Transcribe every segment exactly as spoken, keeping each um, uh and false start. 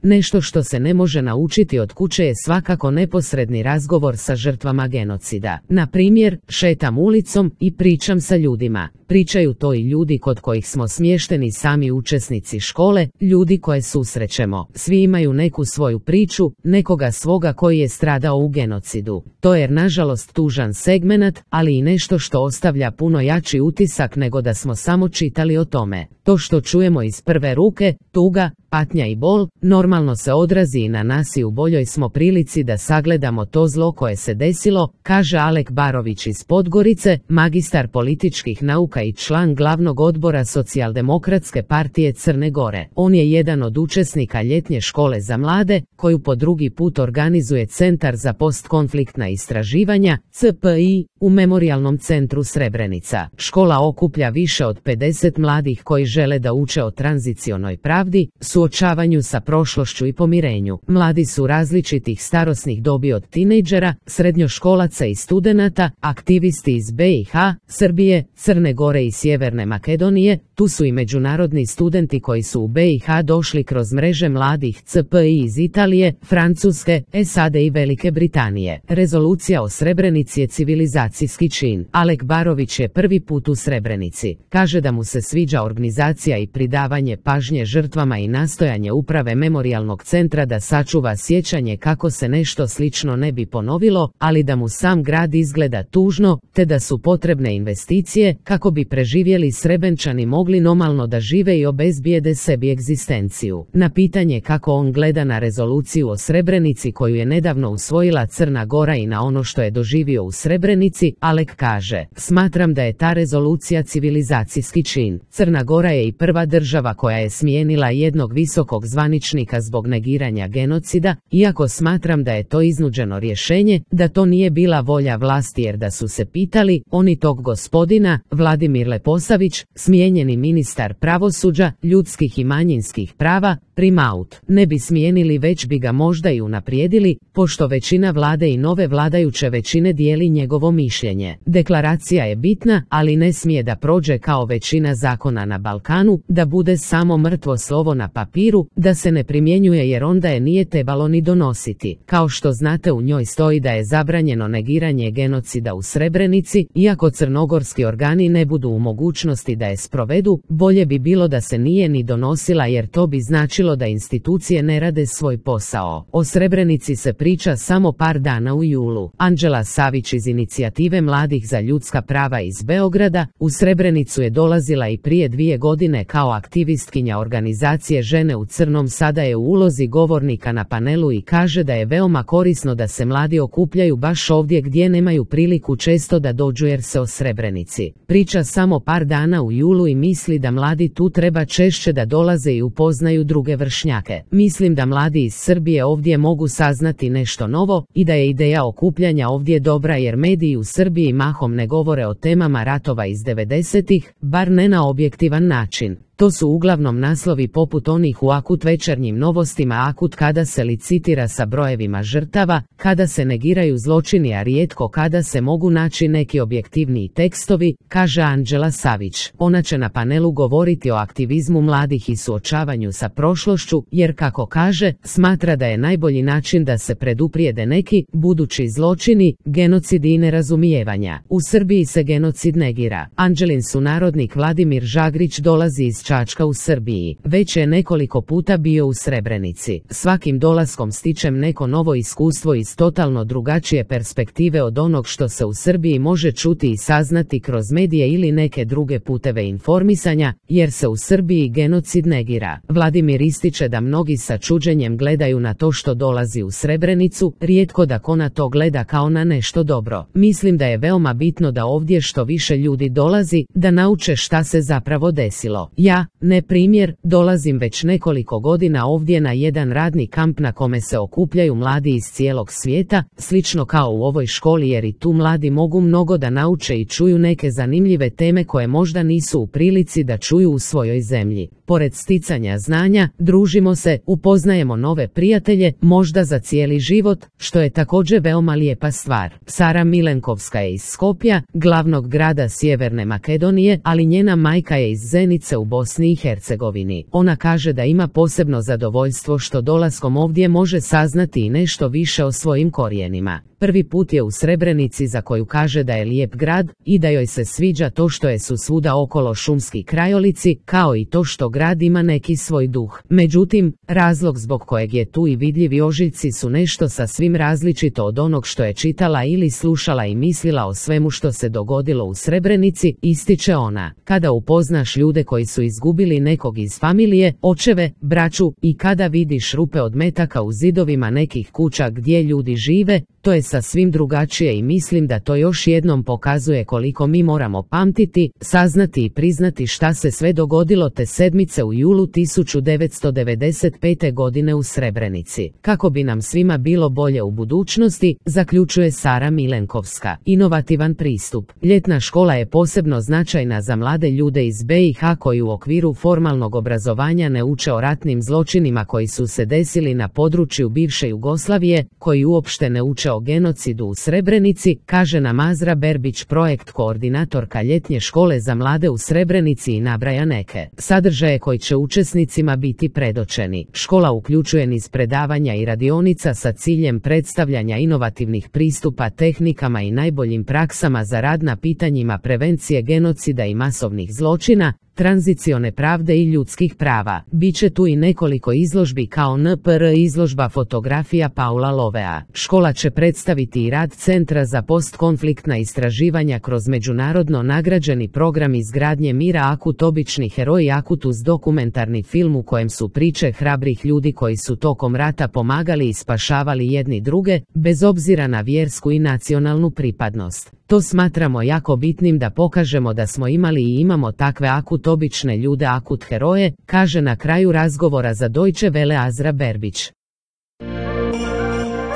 Nešto što se ne može naučiti od kuće je svakako neposredni razgovor sa žrtvama genocida. Na primjer, šetam ulicom i pričam sa ljudima. Pričaju to i ljudi kod kojih smo smješteni sami učesnici škole, ljudi koje susrećemo. Svi imaju neku svoju priču, nekoga svoga koji je stradao u genocidu. To je nažalost tužan segmenat, ali i nešto što ostavlja puno jači utisak nego da smo samo čitali o tome. To što čujemo iz prve ruke, tuga, patnja i bol, normalno se odrazi i na nas i u boljoj smo prilici da sagledamo to zlo koje se desilo, kaže Alek Barović iz Podgorice, magistar političkih nauka i član glavnog odbora Socijaldemokratske partije Crne Gore. On je jedan od učesnika ljetnje škole za mlade, koju po drugi put organizuje Centar za postkonfliktna istraživanja, C P I, u Memorijalnom centru Srebrenica. Škola okuplja više od pedeset mladih koji žele da uče o tranzicionoj pravdi, suočavanju sa prošlošću i pomirenju. Mladi su različitih starosnih dobi od tinejdžera, srednjoškolaca i studenata, aktivisti iz B i H, Srbije, Crne Gore i Sjeverne Makedonije. Tu su i međunarodni studenti koji su u B i H došli kroz mreže mladih C P I iz Italije, Francuske, S A D i Velike Britanije. Rezolucija o Srebrenici je civilizacijski čin. Alek Barović je prvi put u Srebrenici. Kaže da mu se sviđa organizacija i pridavanje pažnje žrtvama i nastojanje uprave memorijalnog centra da sačuva sjećanje kako se nešto slično ne bi ponovilo, ali da mu sam grad izgleda tužno, te da su potrebne investicije kako bi preživjeli Srebenčani mogli normalno da žive i obezbijede sebi egzistenciju. Na pitanje kako on gleda na rezoluciju o Srebrenici koju je nedavno usvojila Crna Gora i na ono što je doživio u Srebrenici, Alek kaže: "Smatram da je ta rezolucija civilizacijski čin. Crna Gora je i prva država koja je smijenila jednog visokog zvaničnika zbog negiranja genocida, iako smatram da je to iznuđeno rješenje, da to nije bila volja vlasti jer da su se pitali, oni tog gospodina, Vladimir Leposavić, smijenjeni ministar pravosuđa, ljudskih i manjinskih prava, primaut, ne bi smijenili već bi ga možda i unaprijedili, pošto većina vlade i nove vladajuće većine dijeli njegovo mišljenje. Deklaracija je bitna, ali ne smije da prođe kao većina zakona na Balkanu, da bude samo mrtvo slovo na papiru, da se ne primjenjuje jer onda je nije trebalo ni donositi. Kao što znate, u njoj stoji da je zabranjeno negiranje genocida u Srebrenici, iako crnogorski organi ne budu u mogućnosti da je sprovedu, bolje bi bilo da se nije ni donosila jer to bi značilo da institucije ne rade svoj posao. O Srebrenici se priča samo par dana u julu. Anđela Savić iz Inicijative mladih za ljudska prava iz Beograda u Srebrenicu je dolazila i prije dvije godine kao aktivistkinja organizacije Žene u crnom, sada je u ulozi govornika na panelu i kaže da je veoma korisno da se mladi okupljaju baš ovdje gdje nemaju priliku često da dođu jer se o Srebrenici priča samo par dana u julu i misli da mladi tu treba češće da dolaze i upoznaju druge vršnjake. Mislim da mladi iz Srbije ovdje mogu saznati nešto novo i da je ideja okupljanja ovdje dobra jer mediji u Srbiji mahom ne govore o temama ratova iz devedesetih, bar ne na objektivan način. To su uglavnom naslovi poput onih u Akut večernjim novostima Akut kada se licitira sa brojevima žrtava, kada se negiraju zločini, a rijetko kada se mogu naći neki objektivniji tekstovi, kaže Anđela Savić. Ona će na panelu govoriti o aktivizmu mladih i suočavanju sa prošlošću, jer kako kaže, smatra da je najbolji način da se preduprijede neki budući zločini, genocidi i nerazumijevanja. U Srbiji se genocid negira. Anđelin sunarodnik Vladimir Žagrić dolazi iz Čačka u Srbiji. Već je nekoliko puta bio u Srebrenici. Svakim dolaskom stičem neko novo iskustvo iz totalno drugačije perspektive od onog što se u Srbiji može čuti i saznati kroz medije ili neke druge puteve informisanja, jer se u Srbiji genocid negira. Vladimir ističe da mnogi sa čuđenjem gledaju na to što dolazi u Srebrenicu, rijetko da ko na to gleda kao na nešto dobro. Mislim da je veoma bitno da ovdje što više ljudi dolazi, da nauče šta se zapravo desilo. Ja, ne primjer, dolazim već nekoliko godina ovdje na jedan radni kamp na kome se okupljaju mladi iz cijelog svijeta, slično kao u ovoj školi jer i tu mladi mogu mnogo da nauče i čuju neke zanimljive teme koje možda nisu u prilici da čuju u svojoj zemlji. Pored sticanja znanja, družimo se, upoznajemo nove prijatelje, možda za cijeli život, što je također veoma lijepa stvar. Sara Milenkovska je iz Skopja, glavnog grada Sjeverne Makedonije, ali njena majka je iz Zenice u Bosni i Hercegovini. Ona kaže da ima posebno zadovoljstvo što dolaskom ovdje može saznati i nešto više o svojim korijenima. Prvi put je u Srebrenici, za koju kaže da je lijep grad i da joj se sviđa to što je su svuda okolo šumski krajolici, kao i to što grad ima neki svoj duh. Međutim, razlog zbog kojeg je tu i vidljivi ožiljci su nešto sasvim različito od onog što je čitala ili slušala i mislila o svemu što se dogodilo u Srebrenici, ističe ona. Kada upoznaš ljude koji su izgubili nekog iz familije, očeve, braću, i kada vidiš rupe od metaka u zidovima nekih kuća gdje ljudi žive, to je sasvim drugačije i mislim da to još jednom pokazuje koliko mi moramo pamtiti, saznati i priznati šta se sve dogodilo te sedmice u julu tisuću devetsto devedeset pete. godine u Srebrenici. Kako bi nam svima bilo bolje u budućnosti, zaključuje Sara Milenkovska. Inovativan pristup. Ljetna škola je posebno značajna za mlade ljude iz be i ha koji u okviru formalnog obrazovanja ne uče o ratnim zločinima koji su se desili na području bivše Jugoslavije, koji uopšte ne uče o genocidu u Srebrenici, kaže nam Azra Berbić, projekt koordinatorka ljetnje škole za mlade u Srebrenici, i nabraja neke sadržaje koji će učesnicima biti predočeni. Škola uključuje niz predavanja i radionica sa ciljem predstavljanja inovativnih pristupa tehnikama i najboljim praksama za rad na pitanjima prevencije genocida i masovnih zločina, tranzicione pravde i ljudskih prava. Biće tu i nekoliko izložbi kao en pe er izložba fotografija Paula Lovea. Škola će predstaviti i rad Centra za postkonfliktna istraživanja kroz međunarodno nagrađeni program izgradnje mira Akut, obični heroji Akut, uz dokumentarni film u kojem su priče hrabrih ljudi koji su tokom rata pomagali i spašavali jedni druge, bez obzira na vjersku i nacionalnu pripadnost. To smatramo jako bitnim da pokažemo da smo imali i imamo takve Akut obične ljude, Akut heroje, kaže na kraju razgovora za Deutsche Welle Azra Berbić.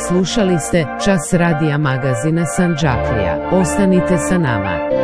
Slušali ste Čas radija magazina Sandžaklija. Ostanite sa nama.